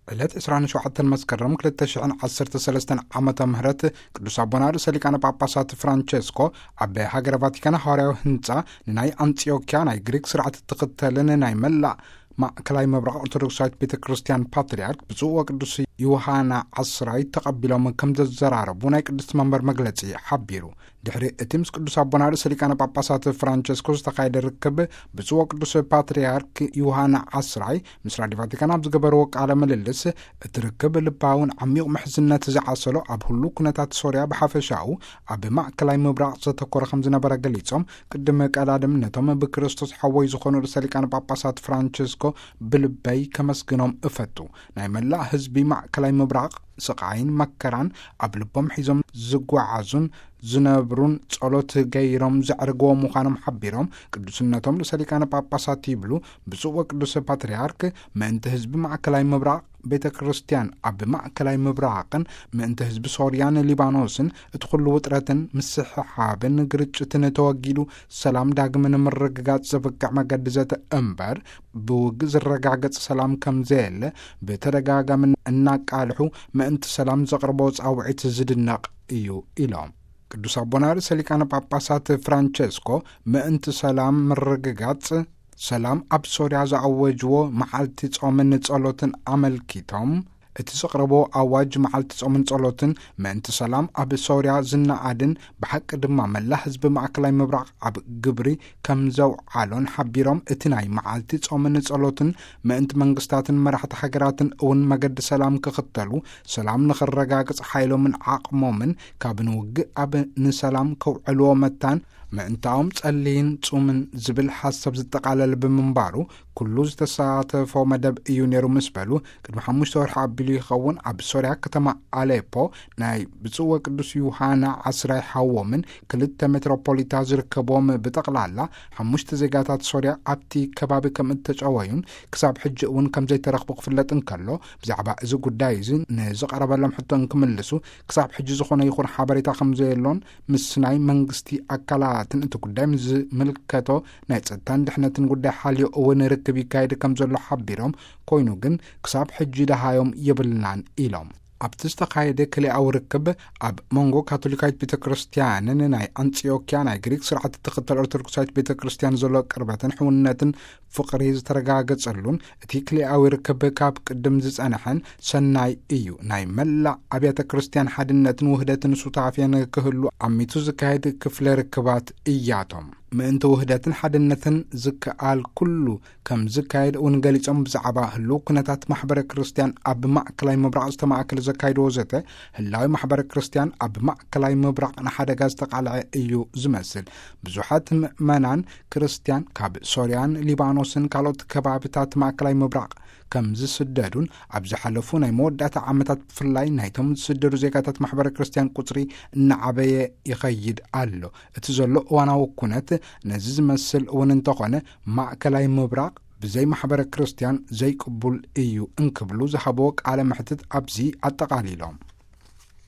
ዕለት ዕስራን ሸውዓተን መስከረም ክልተ ሽሕን ዓሰርተ ሰለስተን ዓመተ ምህረት ቅዱስ ኣቦና ርእሰ ሊቃነ ጳጳሳት ፍራንቸስኮ ኣብ ሃገረ ቫቲካን ሃዋርያዊ ህንጻ ንናይ ኣንጽዮኪያ ናይ ግሪክ ስርዓት እትኽተልን ናይ መላእ ማእከላይ ምብራቕ ኦርቶዶክሳዊት ቤተ ክርስቲያን ፓትርያርክ ብፁዕ ወቅዱስ ዮሃና ዓስራይ ተቐቢሎም ከም ዘዘራረቡ ናይ ቅድስቲ መንበር መግለጺ ሓቢሩ። ድሕሪ እቲ ምስ ቅዱስ ኣቦና ርእሰ ሊቃነ ጳጳሳት ፍራንቸስኮ ዝተኻየደ ርክብ፣ ብፁዕ ወቅዱስ ፓትርያርክ ዮሃና ዓስራይ ምስ ራዲዮ ቫቲካን ኣብ ዝገበርዎ ቃለ ምልልስ፣ እቲ ርክብ ልባውን ዓሚቕ ምሕዝነት ዝዓሰሎ፣ ኣብ ህሉ ኩነታት ሶርያ ብሓፈሻኡ ኣብ ማእከላይ ምብራቕ ዘተኮረ ከም ዝነበረ ገሊጾም፣ ቅድሚ ቀዳድም ነቶም ብክርስቶስ ሓወይ ዝኾኑ ርእሰ ሊቃነ ጳጳሳት ፍራንቸስኮ ብልበይ ከመስግኖም እፈቱ። ናይ መላእ ህዝቢ ማእከላይ ምብራቕ ስቓይን መከራን ኣብ ልቦም ሒዞም ዝጓዓዙን ዝነብሩን፣ ጸሎት ገይሮም ዘዕርግዎ ምዃኖም ሓቢሮም፣ ቅዱስነቶም ርእሰ ሊቃነ ጳጳሳት ይብሉ፣ ብፁዕ ወቅዱስ ፓትርያርክ ምእንቲ ህዝቢ ማእከላይ ምብራቕ ቤተ ክርስቲያን ኣብ ማእከላይ ምብራቕን ምእንቲ ህዝቢ ሶርያን ሊባኖስን እቲ ኩሉ ውጥረትን ምስሕሓብን ግርጭትን ተወጊዱ ሰላም ዳግም ንምርግጋጽ ዘብቅዕ መገዲ ዘተ እምበር፣ ብውግእ ዝረጋገጽ ሰላም ከም ዘየለ ብተደጋጋሚ እናቃልሑ ምእንቲ ሰላም ዘቕርቦ ጻውዒት ዝድነቕ እዩ ኢሎም። ቅዱስ ኣቦና ርእሰ ሊቃነ ጳጳሳት ፍራንቸስኮ ምእንቲ ሰላም ምርግጋጽ ሰላም ኣብ ሶርያ ዝኣወጅዎ መዓልቲ ጾምን ጸሎትን ኣመልኪቶም፣ እቲ ዘቕረቦ ኣዋጅ መዓልቲ ጾምን ጸሎትን ምእንቲ ሰላም ኣብ ሶርያ ዝነኣድን ብሓቂ ድማ መላ ህዝቢ ማእከላይ ምብራቕ ኣብ ግብሪ ከም ዘውዓሎን ሓቢሮም፣ እቲ ናይ መዓልቲ ጾምን ጸሎትን ምእንቲ መንግስታትን መራሕቲ ሃገራትን እውን መገዲ ሰላም ክኽተሉ፣ ሰላም ንኽረጋግጽ ሓይሎምን ዓቕሞምን ካብ ንውግእ ኣብ ንሰላም ከውዕልዎ መታን ምእንታኦም ጸልይን ጹምን ዝብል ሓሳብ ዝጠቓለለ ብምንባሩ፣ ኩሉ ዝተሳተፎ መደብ እዩ ነይሩ ምስ በሉ፣ ቅድሚ ሓሙሽተ ወርሒ ኣቢሉ ይኸውን ኣብ ሶርያ ከተማ ኣሌፖ ናይ ብፁዕ ወቅዱስ ዮሃና ዓስራይ ሓዎምን ክልተ ሜትሮፖሊታ ዝርከብዎም ብጠቕላላ ሓሙሽተ ዜጋታት ሶርያ ኣብቲ ከባቢ ከም እተጨወዩን ክሳብ ሕጂ እውን ከም ዘይተረኽቡ ክፍለጥ እንከሎ፣ ብዛዕባ እዚ ጉዳይ እዚ ንዝቐረበሎም ሕቶ እንክምልሱ፣ ክሳብ ሕጂ ዝኾነ ይኹን ሓበሬታ ከም ዘየሎን ምስ ናይ መንግስቲ ኣካላትን እቲ ጉዳይ ምስ ዝምልከቶ ናይ ጸጥታን ድሕነትን ጉዳይ ሓልዮ እውን ርክብ ይካየድ ከም ዘሎ ሓቢሮም፣ ኮይኑ ግን ክሳብ ሕጂ ደሃዮም የብልናን ኢሎም። ኣብቲ ዝተኻየደ ክልኣዊ ርክብ ኣብ መንጎ ካቶሊካዊት ቤተ ክርስቲያንን ናይ ኣንጽዮኪያ ናይ ግሪክ ስርዓት እትኽተል ኦርቶዶክሳዊት ቤተ ክርስቲያን ዘሎ ቅርበትን ሕውነትን ፍቕሪ ዝተረጋገጸሉን እቲ ክልኣዊ ርክብ ካብ ቅድም ዝጸንሐን ሰናይ እዩ። ናይ መላእ ኣብያተ ክርስቲያን ሓድነትን ውህደትን ሱታፌን ክህሉ ኣሚቱ ዝካየድ ክፍለ ርክባት እያቶም። ምእንቲ ውህደትን ሓድነትን ዝከኣል ኩሉ ከም ዝካየድ እውን ገሊጾም፣ ብዛዕባ ህልው ኩነታት ማሕበረ ክርስቲያን ኣብ ማእከላይ ምብራቕ ዝተማእከለ ዘካይድዎ ዘተ፣ ህላዊ ማሕበረ ክርስቲያን ኣብ ማእከላይ ምብራቕ ንሓደጋ ዝተቓልዐ እዩ ዝመስል። ብዙሓት ምእመናን ክርስቲያን ካብ ሶርያን ሊባኖስን ካልኦት ከባብታት ማእከላይ ምብራቕ ከም ዝስደዱን፣ ኣብ ዝሓለፉ ናይ መወዳእታ ዓመታት ብፍላይ ናይቶም ዝስደዱ ዜጋታት ማሕበረ ክርስቲያን ቁጽሪ እናዓበየ ይኸይድ ኣሎ። እቲ ዘሎ እዋናዊ ኩነት ነዚ ዝመስል እውን እንተኾነ፣ ማእከላይ ምብራቕ ብዘይ ማሕበረ ክርስቲያን ዘይቅቡል እዩ እንክብሉ ዝሃብዎ ቃለ መሕትት ኣብዚ ኣጠቓሊሎም።